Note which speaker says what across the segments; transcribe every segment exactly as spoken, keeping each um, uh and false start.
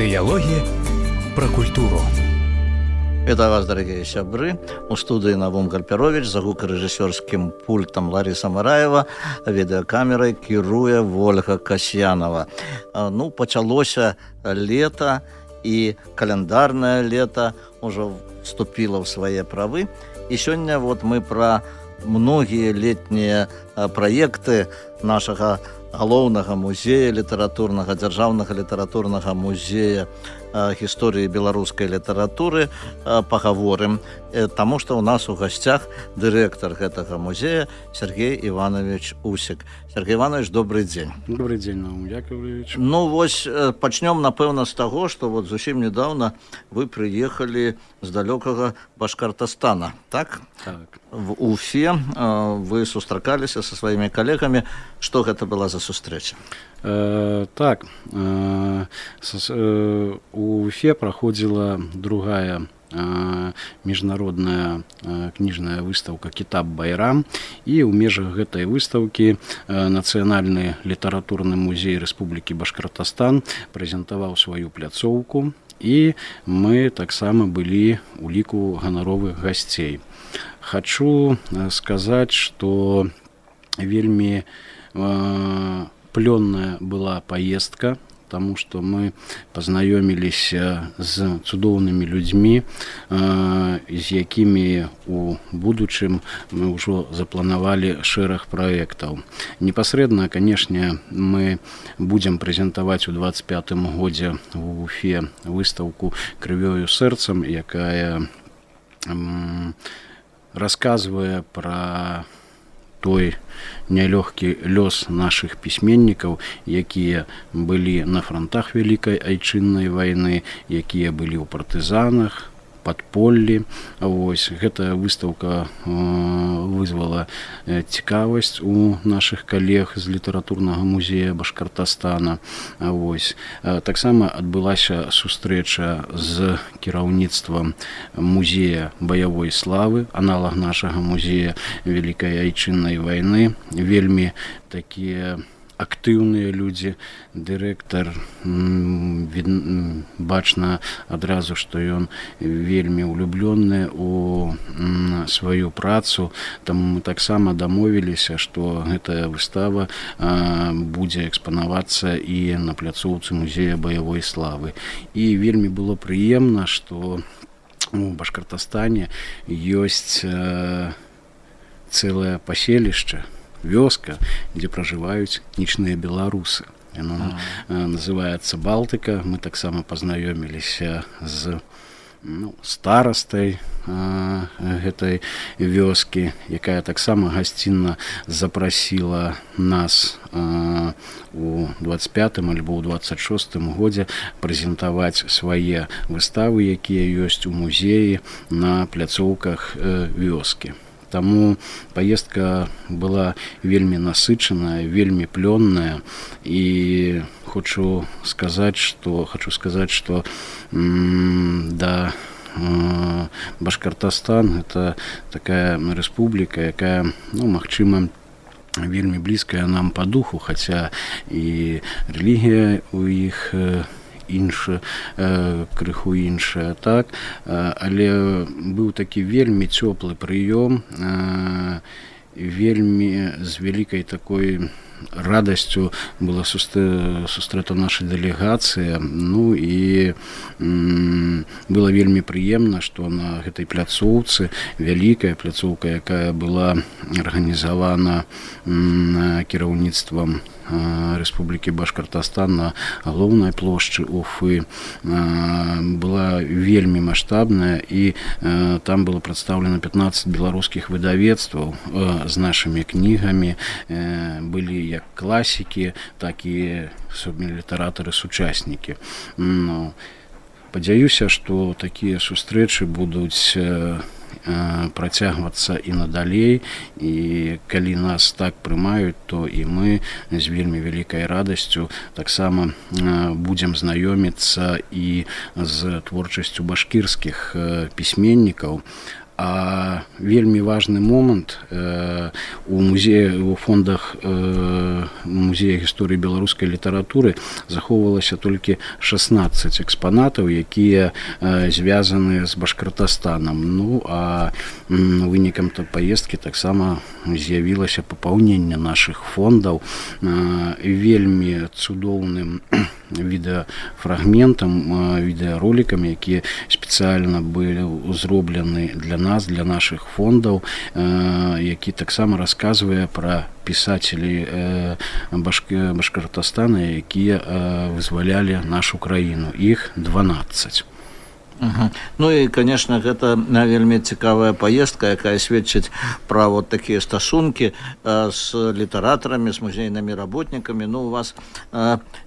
Speaker 1: Дыялогі пра культуру.
Speaker 2: Вітаю вас, дарагія сябры. У студыі Навум Гальперович, за гукарэжысёрскім пультам Лариса Мараева, відэакамерай кіруе Вольга Касьянова. Ну, пачалося лета, і каляндарнае лета ўжо вступіла ў свае правы. І сёння вот мы пра многія летнія праекты нашага галоўнага музея літаратурнага, дзяржаўнага літаратурнага музея гісторыі беларускай літаратуры пагаворым, таму што ў нас у гасцях дырэктар гэтага музея Сергей Иванович Усік. Сергей Иванович, добрый дзень.
Speaker 3: Добрый дзень, Наум Яковлевич.
Speaker 2: Ну вось пачнём, напэўна, з таго, што вот зусім недаўна вы прыехалі з далёкага Башкартастана, так?
Speaker 3: Так.
Speaker 2: В Уфе вы сустракаліся са сваімі калегамі. Што гэта была за сустрэча?
Speaker 3: Э, так, э, с, э, у Уфе праходзіла другая э, міжнародная э, кніжная выстаўка «Кітаб Байрам», і ў межах гэтай выстаўкі э, Нацыянальны літаратурны музей Рэспублікі Башкартастан прэзентаваў сваю пляцоўку, і мы таксама былі ў ліку ганаровых гасцей. Хачу сказаць, што вельмі э, плённая была поездка, потому что мы познаёміліся з цудоўнымі людзьмі, з якімі у будучым мы ўжо запланавалі шэраг праектаў. Непасрэдна, канешне, мы будзем прэзентаваць у двадцать пятым годзе в Уфе выстаўку «Крывёю сэрцам», якая м, расказвае пра той нялёгкі лёс нашых пісьменнікаў, якія былі на фронтах Вялікай Айчыннай вайны, якія былі ў партызанах, падполлі. Вось гэтая выстаўка э, вызвала цікавасць у нашых калег з літаратурнага музея Башкартастана. Вось э, таксама адбылася сустрэча з кіраўніцтвам музея баявой славы, аналаг нашага музея Вялікай Айчыннай вайны. Вельмі такія актыўныя людзі. Дырэктар, бачна адразу, што ён вельмі ўлюблёны у сваю працу, таму мы таксама дамовіліся, што гэтая выстава будзе экспанавацца і на пляцоўцы музея баявой славы. І вельмі было прыемна, што у Башкартастане ёсць цэлае паселішча, вёска, дзе пражываюць этнічныя беларусы. Яно а. называецца Балтыка. Мы таксама пазнаёміліся з ну, старастай а, гэтай вёскі, якая таксама гасцінна запрасіла нас а, у двадцать пятым альбо ў двадцать шостым годзе прэзентаваць свае выставы, якія ёсць у музеі на пляцоўках э, вёскі. Таму паездка была вельмі насычаная, вельмі плённая, і хочу сказаць, што хочу сказаць, што м, да э, Башкартастан это такая рэспубліка, якая, ну, магчыма, вельмі блізкая нам па духу, хаця і рэлігія у іх э, інша, э, крыху іншая, так, э, але быў такі вельмі цёплы прыём, э, вельмі з вялікай такой радасцю была сустрэта наша дэлегацыя. Ну і м, было вельмі прыемна, што на гэтай пляцоўцы, вялікая пляцоўка, якая была арганізавана м, кіраўніцтвам Рэспублікі Башкартастан на галоўнай плошчы Уфы, была вельмі маштабная, і там было прадстаўлена пятнаццаць беларускіх выдавецтваў з нашымі кнігамі. Былі як класікі, так і літаратары-сучаснікі. Ну, спадзяюся, што такія сустрэчы будуць працягвацца і надалей, і калі нас так прымаюць, то і мы з вельмі вялікай радасцю таксама будзем знаёміцца і з творчасцю башкірскіх пісьменнікаў. А вельмі важны момант у музеі у фондах музея гісторыі беларускай літаратуры захоўвалася толькі шаснаццаць экспанатаў, якія звязаны з Башкортастанам. Ну а вынікам паездкі таксама з'явілася папаўненне нашых фондаў вельмі цудоўным відэафрагментам, відэаролікам, якія спецыяльна былі зроблены для нас, для нашых фондаў, які таксама расказвае пра пісацелей Башкортастана, якія вызвалялі нашу краіну. Іх дванаццаць.
Speaker 2: Угу. Ну і, конечно, гэта вельмі цікавая паездка, якая сведчыць пра вот такія стасункі з літаратарамі, з музейнымі работнікамі. Ну, у вас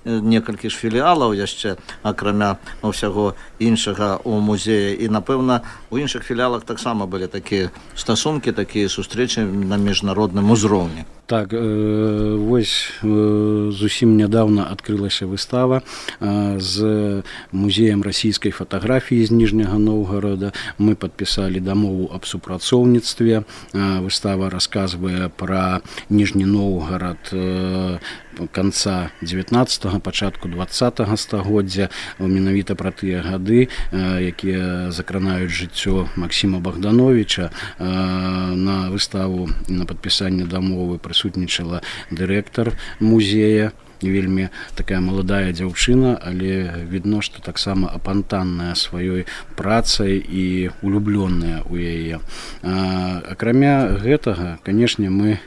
Speaker 2: некалькі ж філіалаў яшчэ, акрамя ўсяго іншага у музеі. І, напэўна, у іншых філіалах таксама былі такія стасункі, такія сустрэчы на міжнародным узроўні.
Speaker 3: Так, э, вось э, зусім нядаўна адкрылася выстава э, з музеем расійскай фатаграфіі з Ніжняга Новгарада. Мы падпісалі дамову аб супрацоўніцтве. Э, выстава расказвае пра Ніжні Новгарад э, канца дзевятнаццатага, пачатку дваццатага стагоддзя, менавіта пра тыя гады, якія закранаюць жыццё Максіма Богдановича. На выставу і на падпісанне дамовы прысутнічала дырэктар музея, вельмі такая маладая дзяўчына, але відно, што таксама апантанная сваёй працай і улюблённая ў яе. Акрамя гэтага, канешне, мы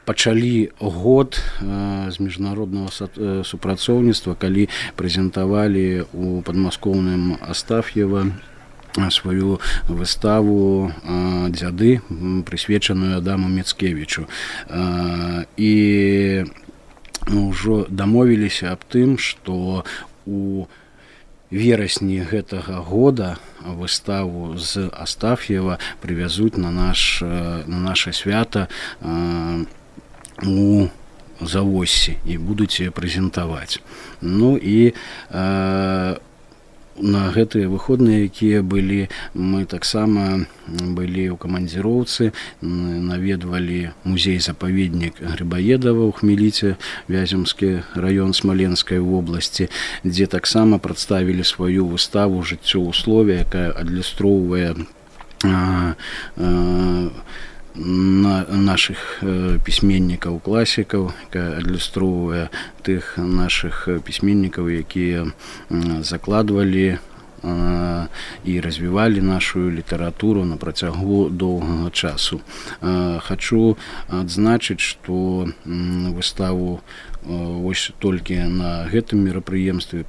Speaker 3: пачалі год з міжнароднага супрацоўніцтва, калі прэзентавалі у падмаскоўным Астаф'ева сваю выставу «Дзяды», прысвечаную Адаму Міцкевічу. І ўжо дамовіліся аб тым, што у верасні гэтага года выставу з Астаф'ева прывязуць на наш на наша свята у Завоссі і будуць прэзентаваць. Ну і на гэтыя выходныя, якія былі, мы таксама былі ў камандзіроўцы, наведвалі музей-запаведнік Грыбаедава ў Хмеліце, Вяземскі раён Смаленскай вобласці, дзе таксама прадставілі сваю выставу «Жыццё ў слове», якая адлюстроўвае а, а, на наших пісьменнікаў, класікаў, якая адлюстроўвае тых нашых пісьменнікаў, якія закладвалі і развівалі нашу літаратуру на працягу доўгага часу. Хачу адзначыць, што выставу вось толькі на гэтым мерапрыемстве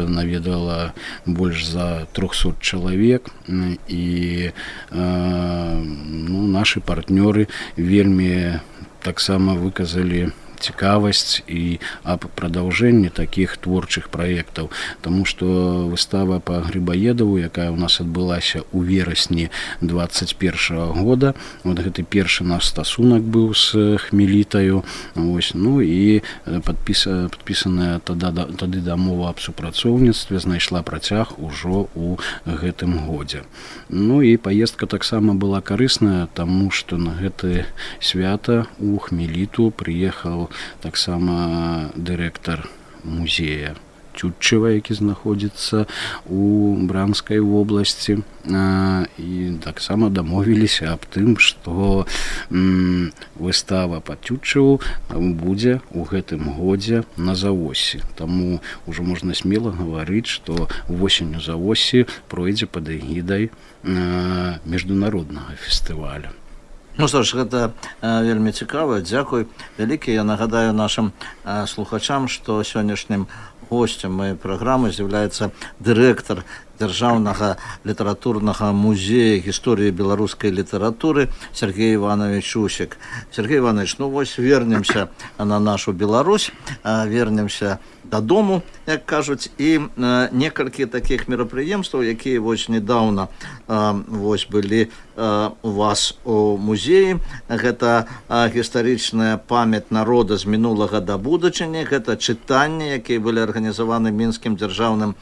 Speaker 3: наведала больш за трохсот чалавек, і ну, нашы партнёры вельмі таксама выказалі цікавасць і аб прадаўжэнні такіх творчых праектаў, таму што выстава па Грыбаедаву, якая ў нас адбылася ў верасні дваццаць першага года, вот гэты першы наш стасунак быў з Хмелітаю, ось, ну і падпіса, падпісаная тада, тады дамова аб супрацоўніцтве знайшла працяг ужо ў гэтым годзе. Ну і паездка таксама была карысная, таму што на гэты свята ў Хмеліту прыехаў таксама дырэктар музея Тютчева, які знаходзіцца у Бранскай вобласці, і таксама дамовіліся аб тым, што выстава па Тютчеву будзе ў гэтым годзе на Завоссі. Таму ўжо можна смела гаварыць, што восенню Завоссі пройдзе пад эгідай міжнароднага фестываля.
Speaker 2: Ну што ж, гэта э, вельмі цікава, дзякуй вялікі. Я нагадаю нашым э, слухачам, што сённяшнім госцем моей праграмы з'яўляецца дырэктар Дзяржаўнага літаратурнага музея гісторыі беларускай літаратуры Сергей Иванович Усік. Сергей Иванович, ну вось вернемся на нашу Беларусь, вернемся дадому, як кажуць, і э, некалькі такіх мерапрыемстваў, якія вось недаўна э, вось былі э, у вас у музеі. Гэта э, гістарычная памяць народа з мінулага да будучыні, гэта чытанні, якія былі арганізаваны Мінскім дзяржаўным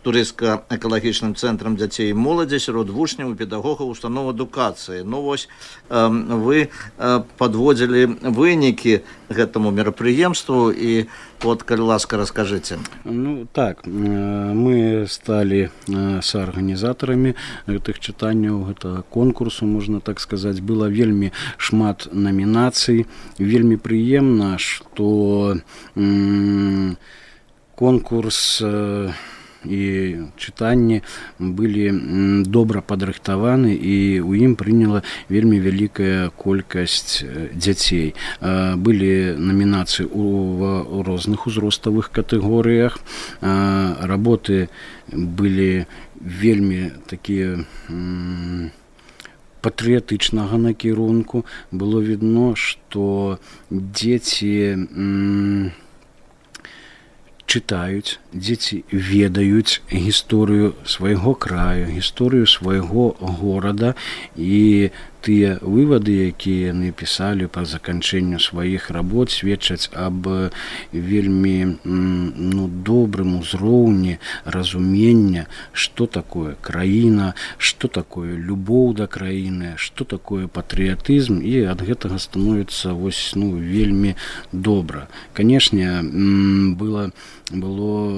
Speaker 2: турыстка-экалагічным цэнтрам дзяцей і моладзі сярод вучняў і педагогаў устаноў адукацыі. Ну вось вы падводзілі вынікі гэтаму мерапрыемству і вот, калі ласка, раскажыце.
Speaker 3: Ну так, мы сталі саарганізатарамі гэтых чытанняў, гэтага конкурсу, можна так сказаць. Было вельмі шмат намінацый, вельмі прыемна, што м- конкурс і чытанні былі добра падрыхтаваны, і ў ім прыняла вельмі вялікая колькасць дзяцей. Былі намінацыі ў розных узроставых катэгорыях. Работы былі вельмі такія патрыятычнага накірунку. Было відно, што дзеці чытаюць, дзеці ведаюць гісторыю свайго краю, гісторыю свайго горада, і тыя вывады, якія яны пісалі па заканчэнню сваіх работ, сведчаць аб вельмі ну, добрым узроўні разумення, што такое краіна, што такое любоў да краіны, што такое патрыятызм, і ад гэтага становіцца вось, ну, вельмі добра. Канешне, было, было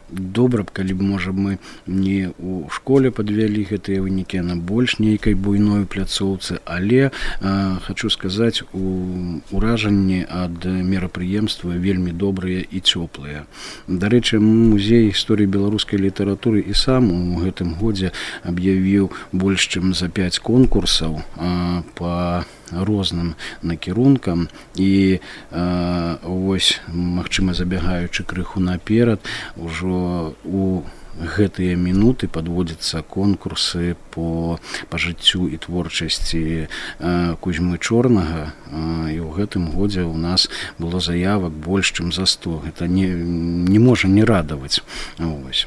Speaker 3: добра б, калі б, можа, мы не ў школе падвялі гэтыя вынікі, на больш нейкай буйной пляцоўцы, але э, хачу сказаць, у уражанні ад мерапрыемства вельмі добрыя і цёплыя. Дарэчы, музей гісторыі беларускай літаратуры і сам у гэтым годзе аб'явіў больш чым за пяць конкурсаў э, па розным накірункам, і э, вось, магчыма, забягаючы крыху наперад, ужо у гэтыя мінуты падводзяцца конкурсы по, по жыццю і творчасці э, Кузьмы Чорнага, э, і ў гэтым годзе у нас было заявак больш чым за сто. Гэта не, не можа не радаваць. Вось.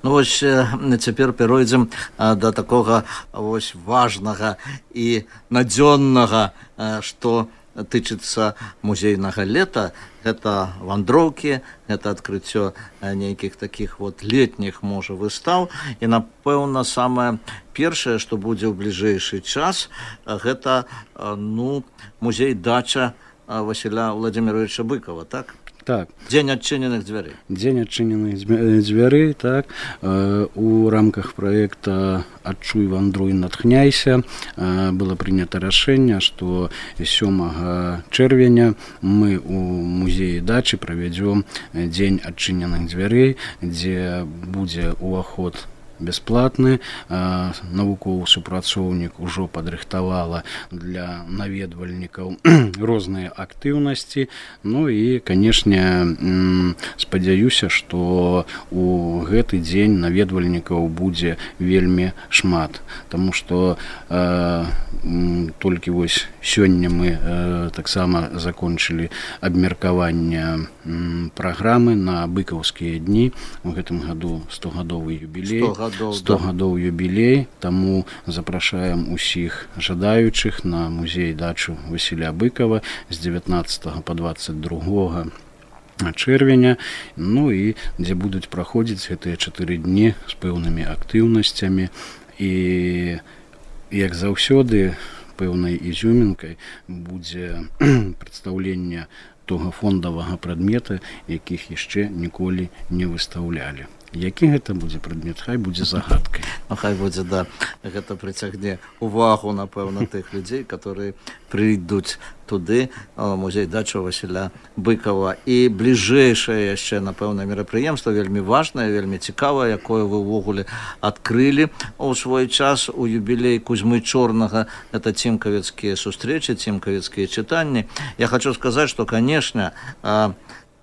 Speaker 2: Ну вось цяпер перайдзем да такога вось важнага і надзённага, што тычыцца музейнага лета. Гэта вандроўкі, гэта адкрыццё нейкіх такіх вот летніх, можа, выстаў. І, напэўна, самае першае, што будзе ў бліжэйшы час, гэта ну, музей-дача Васіля Владзіміровича Быкова, так?
Speaker 3: Так.
Speaker 2: Дзень адчыненых дзвярэй.
Speaker 3: Дзень адчыненых дзвярэй, так. У рамках праекта «Адчуй, вандруй, натхняйся» было прынята рашэнне, што сёмага чэрвеня мы ў музеі дачы правядзём дзень адчыненых дзвярэй, дзе будзе ўваход бясплатны. Навуковы супрацоўнік ужо падрыхтавала для наведвальнікаў розныя актыўнасці. Ну і, канешне, спадзяюся, што у гэты дзень наведвальнікаў будзе вельмі шмат, таму што э, толькі вось сёння мы э, таксама закончылі абмеркаванне э, праграмы на быкаўскія дні. У гэтым году стогадовы юбілей. сто гадоў юбілей, таму запрашаем усіх жадаючых на музей-дачу Васіля Быкова з дзевятнаццатага па дваццаць другога чэрвеня, ну і дзе будуць праходзіць гэтыя чатыры дні з пэўнымі актыўнасцямі. І, як заўсёды, пэўнай ізюмінкай будзе прадстаўленне того фондавага прадмета, якіх яшчэ ніколі не выстаўлялі. Які гэта будзе прадмет, хай будзе загадкай.
Speaker 2: Ну, хай будзе, да, гэта прыцягне увагу, напэўна, тых людзей, которые прыйдуць туды, музей-дачу Васіля Быкова. І бліжэйшае яшчэ, напэўна, мерапрыемства, вельмі важнае, вельмі цікавае, якое вы ўвогуле адкрылі ў свой час у юбілей Кузьмы Чорнага. Это цімкавецкія сустрэчы, цімкавецкія чытанні. Я хочу сказаць, што, канешне,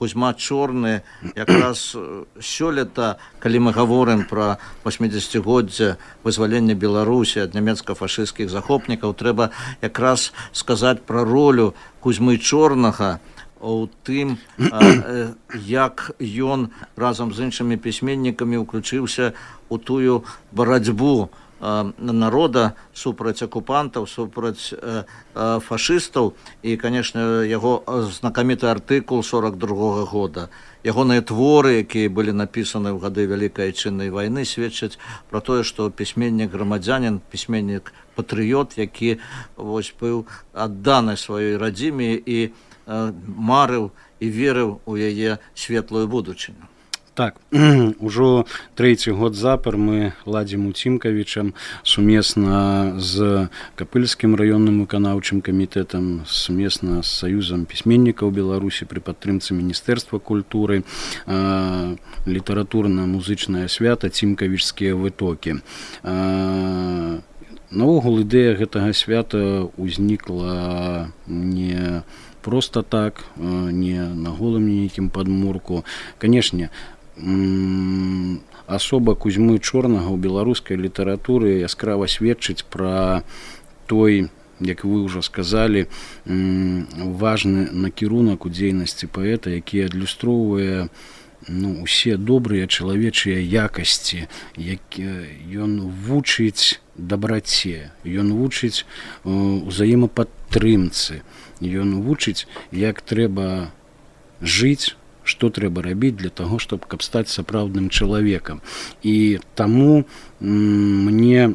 Speaker 2: Кузьма Чорны якраз сёлета, калі мы гаворым пра восьмідзесяцігоддзе вызвалення Беларусі ад нямецка-фашысцкіх захопнікаў, трэба якраз сказаць пра ролю Кузьмы Чорнага у тым, як ён разам з іншымі пісьменнікамі ўключыўся у тую барацьбу народа супраць акупантаў, супраць фашыстаў. І, канешне, яго знакаміты артыкул сорок другога года. Ягоныя творы, якія былі напісаны ў гады Вялікай Айчыннай вайны, сведчаць пра тое, што пісьменнік-грамадзянін, пісьменнік-патрыёт, які вось быў адданы сваёй радзіме і марыў і верыў у яе светлую будучыню.
Speaker 3: Так, ужо трэці год запар мы ладзім у Цімкавічам сумесна з Капыльскім раённым выканаўчым камітэтам, сумесна з Саюзам пісьменнікаў Беларусі пры падтрымцы Міністэрства культуры літаратурна-музычнае свята Цімкавічскія вытокі. Наогул ідэя гэтага свята ўзнікла не проста так, не на голым нейкім падмурку. Канешне, асоба Кузьмы Чорнага ў беларускай літаратуры яскрава сведчыць пра той, як вы ўжо сказалі, важны накірунак у дзейнасці паэта, які адлюстроўвае ну, усе добрыя чалавечыя якасці, ён вучыць дабраце, ён вучыць узаемападтрымцы, ён вучыць, як трэба жыць, што трэба рабіць для таго, щоб каб стаць сапраўдным чалавекам. І таму мне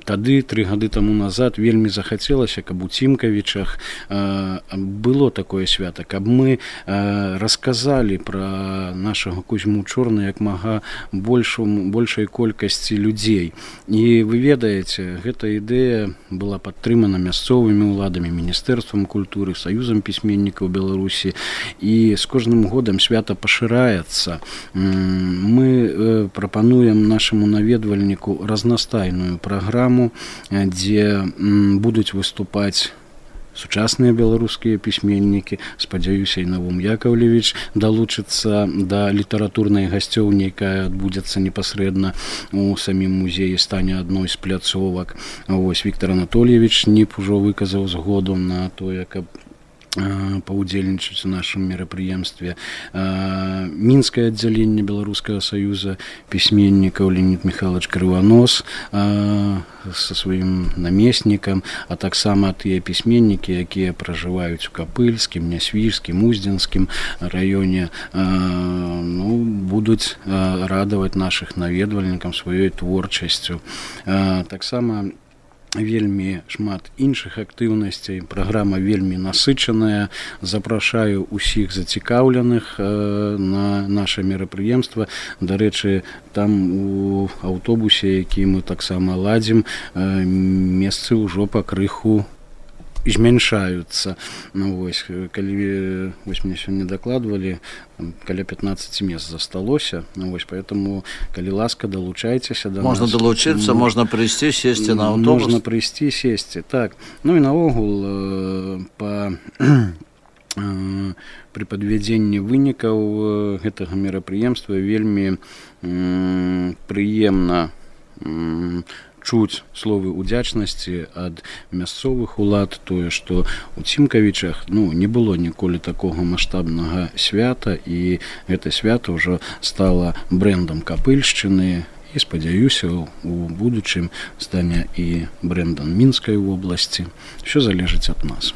Speaker 3: тады, тры гады таму назад, вельмі захацелася, каб у Цімкавічах было такое свята, каб мы расказалі пра нашага Кузьму Чорна як мага большай колькасці людзей. І вы ведаеце, гэта ідэя была падтрымана мясцовымі ўладамі, Міністэрствам культуры, Саюзам пісьменнікаў Беларусі, і з кожным годам свята пашыраецца. Мы прапануем нашаму наведвальніку разнастайную праграму, дзе будуць выступаць сучасныя беларускія пісьменнікі. Спадзяюся, і Навум Яковлевич далучыцца да літаратурнай гасцёўні, якая адбудзецца непасрэдна у самім музеі, стане адной з пляцовак. Вось Віктор Анатольевич Ніп ужо выказаў згоду на тое, каб паўдзельнічаць у нашым мерапрыемстве. Мінскае аддзяленне Беларускага саюза пісьменнікаў Леонід Михайлович Крыванос са сваім намеснікам, а таксама тыя пісьменнікі, якія пражываюць у Капыльскім, Нясвіжскім, Уздзенскім раёне, ну, будуць радаваць нашых наведвальнікам сваёй творчасцю. Таксама вельмі шмат іншых актыўнасцей, праграма вельмі насычаная. Запрашаю усіх зацікаўленых на наша мерапрыемства. Дарэчы, там у аўтобусе, які мы таксама ладзім, месцы ўжо пакрыху змяншаюцца. Ну, вось, калі вось мне сёння дакладвалі, каля пятнадцать мест засталося. Ну, вось, поэтому, калі ласка, далучайцеся да
Speaker 2: можна нас. Можна далучыцца, ну, можна прыйсці, сесці на аўтобус.
Speaker 3: Можна прыйсці, сесці, так. Ну і наогул, па пры падвядзенні вынікаў гэтага мерапрыемства вельмі прыемна чуць словы ўдзячнасці ад мясцовых улад, тое, што у Цімкавічах ну, не было ніколі такога маштабнага свята, і гэта свята ўжо стала брэндам Капыльшчыны, і спадзяюся, у будучым стане і брэндам Мінскай вобласці. Усё залежыць ад нас.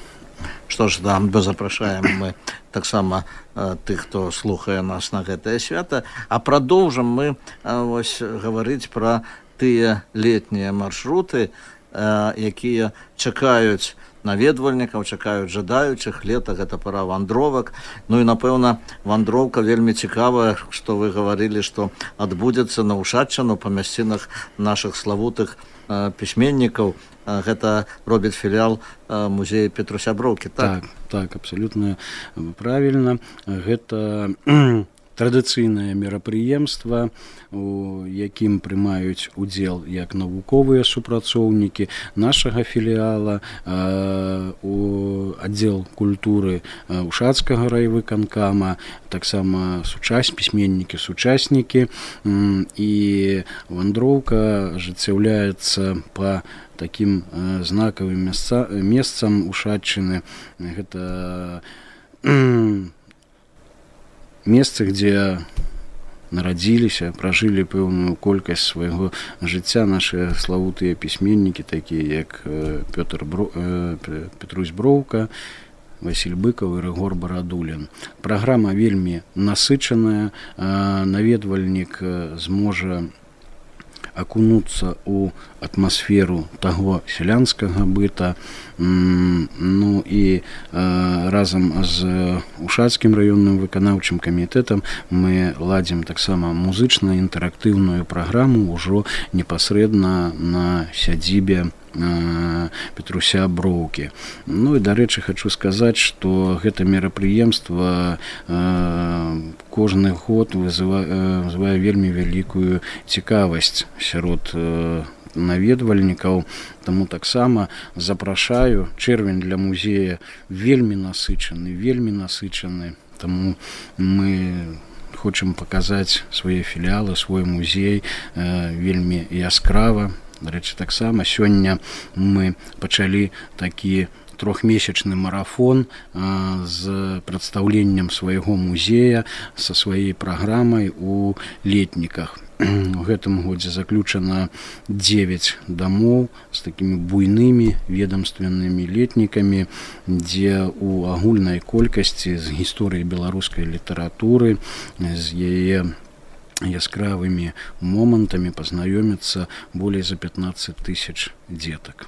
Speaker 2: Што ж, да, запрашаем мы таксама тых, хто слухае нас на гэтае свята, а прадоўжым мы вось гаварыць пра тыя летнія маршруты, якія чакаюць наведвальнікаў, чакаюць жадаючых. Лета гэта пара вандровак. Ну і напэўна, вандроўка вельмі цікавая, што вы гаварылі, што адбудзецца на Ушаччыну па мясцінах нашых славутых пісьменнікаў. Гэта робіць філіал музея Петруся Броўкі, так?
Speaker 3: Так, так, абсалютна правільна. Гэта традыцыйнае мерапрыемства, у якім прымаюць удзел як навуковыя супрацоўнікі нашага філіяла, у аддзел культуры Ушацкага райвыканкама, таксама сучас пісьменнікі, сучаснікі, і вандроўка ажыццяўляецца па такім знакавым месцам Ушаччыны. Гэта месцы, где нарадзіліся, пражылі пэўную колькасць свайго жыцця нашыя славутыя пісьменнікі, такія як Пётр Бро... Петрусь Броўка, Васіль Быкаў і Рыгор Барадулін. Праграма вельмі насычаная, наведвальнік зможа акунуцца ў атмасферу таго сялянскага быта. Ну і разам з Ушацкім раённым выканаўчым камітэтам мы ладзім таксама музычна-інтэрактыўную праграму ўжо непасрэдна на сядзібе Петруся Броўкі. Ну і, дарэчы, хачу сказаць, што гэта мерапрыемства кожны год вызывае вельмі вялікую цікавасць сярод наведвальнікаў, таму таксама запрашаю. Чэрвень для музея вельмі насычаны, вельмі насычаны, таму мы хочам паказаць свае філіалы, свой музей вельмі яскрава. Дарэчы, таксама сёння мы пачалі такі трохмесячны марафон з прадстаўленнем свайго музея са сваёй праграмай у летніках. У гэтым годзе заключана дзевяць дамоў з такімі буйнымі ведамственнымі летнікамі, дзе ў агульнай колькасці з гісторыі беларускай літаратуры, з яе яскравымі момантамі пазнаёміцца болей за пятнаццаць тысяч дзетак.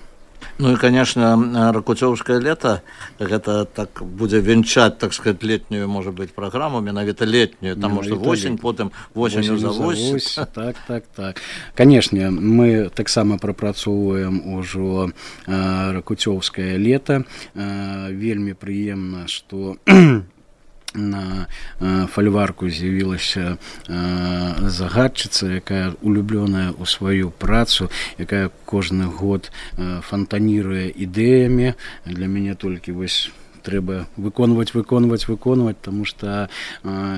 Speaker 2: Ну і, конечно, ракуцёўскае лета, гэта так будзе венчаць, так сказать, летнюю, можа быць, праграму, менавіта летнюю, таму што восень, потым восенню за вось.
Speaker 3: Так, так, так. Канешне, мы таксама прапрацоўваем ужо ракуцёўскае лета. Вельмі прыемна, што на фальварку з'явілася загадчыца, якая улюблёная ў сваю працу, якая кожны год фантаніруе ідэямі. Для мяне толькі вось трэба выконваць, выконваць, выконваць, таму што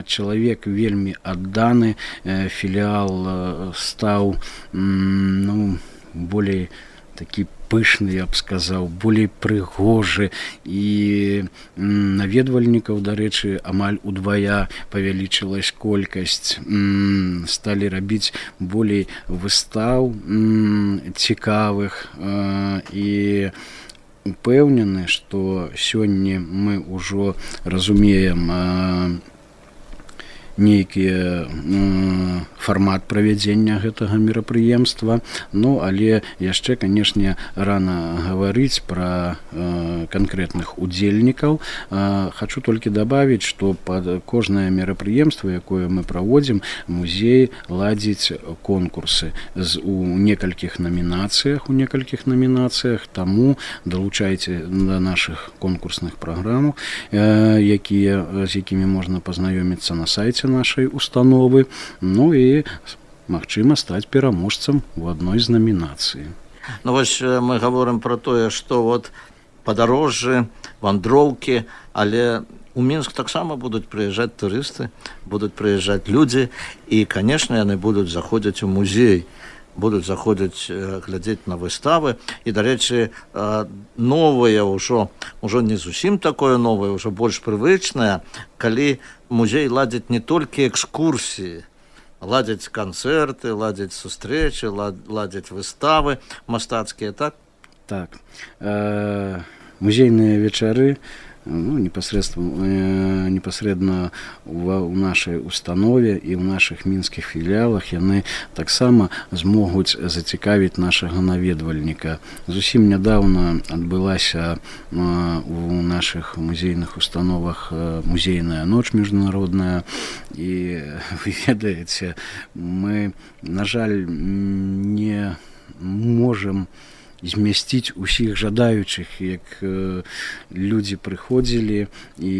Speaker 3: чалавек вельмі адданы. Філіал стаў, ну, болей такі пышны, я б сказаў, болей прыгожы, і наведвальнікаў, дарэчы, амаль удвая павялічылась колькасць. Сталі рабіць болей выстаў цікавых, і упэўнены, што сёння мы ўжо разумеем нейкі фармат правядзення гэтага мерапрыемства. Ну, але яшчэ, канешне, рана гаварыць пра канкрэтных удзельнікаў. Хачу толькі дабавіць, што пад кожнае мерапрыемства, якое мы праводзім, музей ладзіць конкурсы у некалькіх намінацыях, у некалькіх намінацыях, таму далучайце да нашых конкурсных праграм, якія, з якімі можна пазнаёміцца на сайце нашай установы, ну і магчыма стаць пераможцам у адной з намінацый.
Speaker 2: Ну вось мы гаворым пра тое, што вот падарожжы, вандроўкі, але у Мінск таксама будуць прыязджаць турысты, будуць прыязджаць людзі, і, канешне, яны будуць заходзіць у музей, будуць заходзіць глядзець на выставы. І, дарэчы, новае ўжо, ўжо не зусім такое новае, ўжо больш прывычнае, калі музей ладзіць не толькі экскурсіі, ладзіць канцэрты, ладзіць сустрэчы, ладзіць выставы мастацкія, так?
Speaker 3: Так. Музейныя вечары, ну, непасрэдна, непасрэдна ў нашай установе і ў нашых мінскіх філіялах яны таксама змогуць зацікавіць нашага наведвальніка. Зусім нядаўна адбылася у нашых музейных установах музейная ноч міжнародная, і вы ведаеце, мы, на жаль, не можам змясціць усіх жадаючых, як людзі прыходзілі, і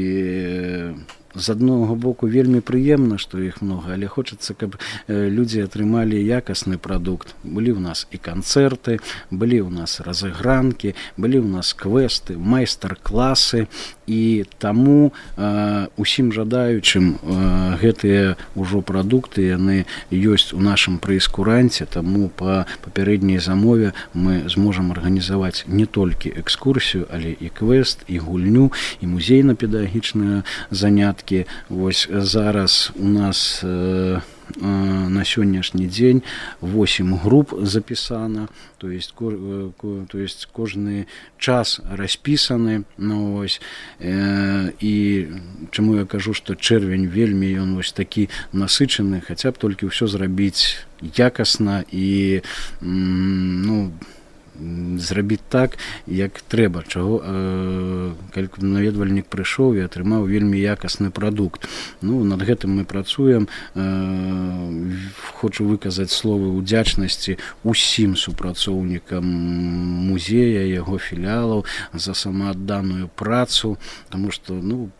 Speaker 3: з аднаго боку вельмі прыемна, што іх многа, але хочацца, каб людзі атрымалі якасны прадукт. Былі ў нас і канцэрты, былі ў нас разыгранкі, былі ў нас квесты, майстар-класы, і таму э, усім жадаючым э, гэтыя ўжо прадукты яны ёсць у нашым прэйскуранце, таму па папярэдняй замове мы зможам арганізаваць не толькі экскурсію, але і квест, і гульню, і музейна-педагагічныя заняткі. Вось зараз у нас э, на сённяшні дзень восемь груп запісана, то есть, то есть кожны час распісаны. Ну, ось, э, і чаму я кажу, што чэрвень вельмі ён вось такі насычаны, хаця б толькі ўсё зрабіць якасна і ну, зрабіць так, як трэба, чаго э, калі наведвальнік прыйшоў і атрымаў вельмі якасны прадукт. Ну, над гэтым мы працуем. Э, хочу выказаць словы ўдзячнасці усім супрацоўнікам музея, яго філіялаў за самаадданую працу, таму што ну,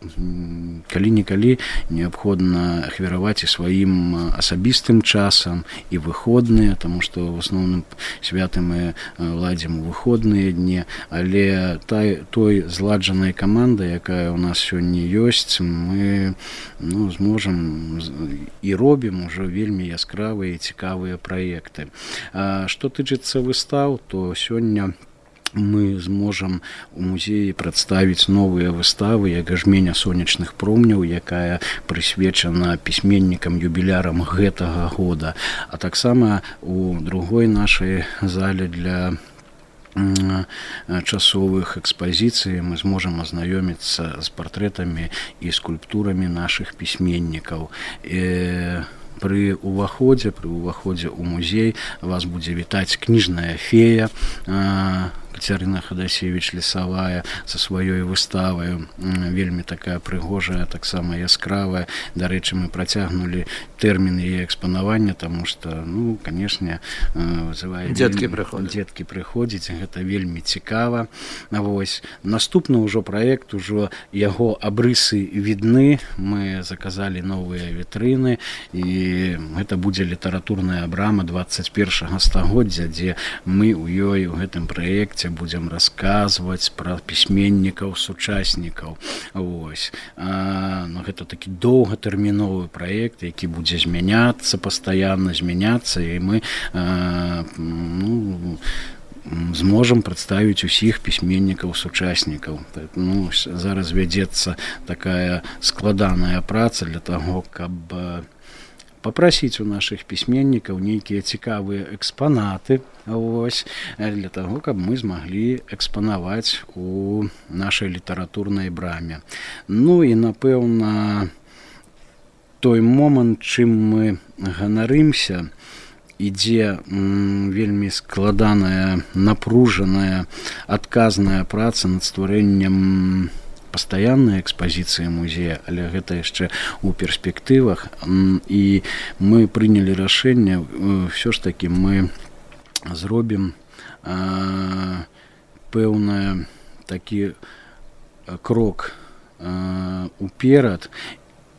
Speaker 3: калі-нікалі неабходна ахвяраваць і сваім асабістым часам і выходныя, таму што ў асноўным святы мы ладзім у выходныя дні, але той, той зладжанай камандай, якая ў нас сёння ёсць, мы ну, зможам і робім ужо вельмі яскравыя і цікавыя праекты. А што тычыцца выстаў, то сёння мы зможам у музеі прадставіць новыя выставы, як жменя сонечных промняў, якая прысвечана пісьменнікам юбілярам гэтага года. А таксама у другой нашай зале для часовых экспазіцый мы зможам азнаёміцца з партрэтамі і скульптурамі нашых пісьменнікаў. І пры ўваходзе, пры ўваходзе ў музей вас будзе вітаць кніжная фея Кацярына Хадасевіч Лесавая са сваёй выставай, вельмі такая прыгожая, таксама яскравая. Дарэчы, мы працягнулі тэрмін яе экспанавання, таму што, ну, канешне, вызывае
Speaker 2: дзеткі прыходзяць.
Speaker 3: Дзеткі прыходзяць, гэта вельмі цікава. Вось наступны ўжо праект, ужо яго абрысы відны. Мы заказалі новыя вітрыны, і гэта будзе літаратурная брама дваццаць першага стагоддзя, дзе мы ў ёй у гэтым праекце будзем расказваць пра пісьменнікаў, сучаснікаў. Вось. А, ну, гэта такі доўгатэрміновы праект, які будзе змяняцца, пастаянна змяняцца, і мы а, ну, зможам прадставіць усіх пісьменнікаў, сучаснікаў. Ну, зараз вядзецца такая складаная праца для таго, каб папрасіць у нашых пісьменнікаў нейкія цікавыя экспанаты, вось, для таго, каб мы змаглі экспанаваць у нашай літаратурнай браме. Ну і, напэўна, той момант, чым мы ганарымся, ідзе м, вельмі складаная, напружаная, адказная праца над стварэннем пастаяннай экспазіцыі музея, але гэта яшчэ ў перспектывах. І мы прынялі рашэнне, ўсё ж такі мы зробім а, пэўны такі крок а, уперад,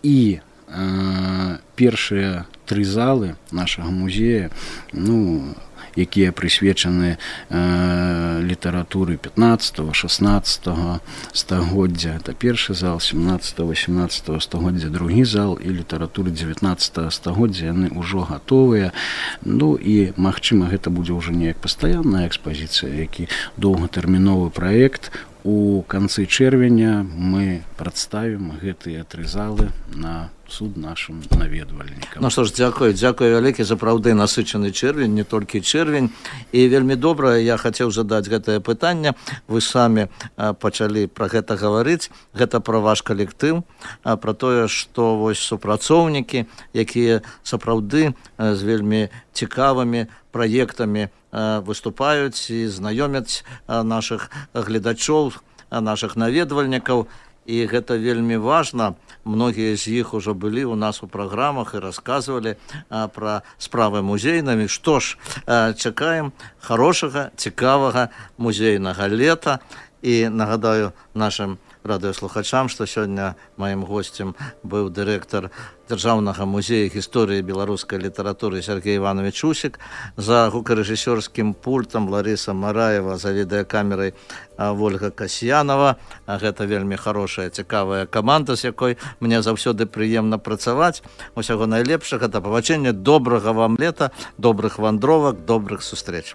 Speaker 3: і а, першыя тры залы нашага музея, ну, якія прысвечаны э, літаратуры пятнаццатага шаснаццатага стагоддзя. Это першы зал, сямнаццатага васемнаццатага стагоддзя, другі зал, і літаратуры дзевятнаццатага стагоддзя, яны ўжо гатовыя. Ну і, магчыма, гэта будзе ўжо неяк пастаянная экспазіцыя, які доўгатэрміновы праект. У канцы чэрвеня мы прадставім гэтыя тры залы на суд нашим наведвальнікам.
Speaker 2: Ну што ж, дзякую, дзякую вялікі, сапраўды насычаны чэрвень, не толькі чэрвень. І вельмі добра, я хацеў задаць гэтае пытанне. Вы самі а, пачалі пра гэта гаварыць. Гэта пра ваш калектыў, а, пра тое, што вось супрацоўнікі, якія сапраўды а, з вельмі цікавымі праектамі а, выступаюць і знаёмяць а, нашых гледачоў, а, нашых наведвальнікаў. І гэта вельмі важна. Многія з іх ужо былі ў нас у праграмах і расказвалі а, пра справы музейнымі. Што ж, а, чакаем хорошага, цікавага музейнага лета. І нагадаю нашым радыёслухачам, што сёння маім госцем быў дырэктар Дзяржаўнага музея гісторыі беларускай літаратуры Сергей Иванович Усік, за гукарэжысёрскім пультам Лариса Мараева, за відэакамерай Вольга Касьянова. Гэта вельмі хорошая, цікавая каманда, з якой мне заўсёды прыемна працаваць. Усяго найлепшага, да пабачэння, добрага вам лета, добрых вандровак, добрых сустрэч.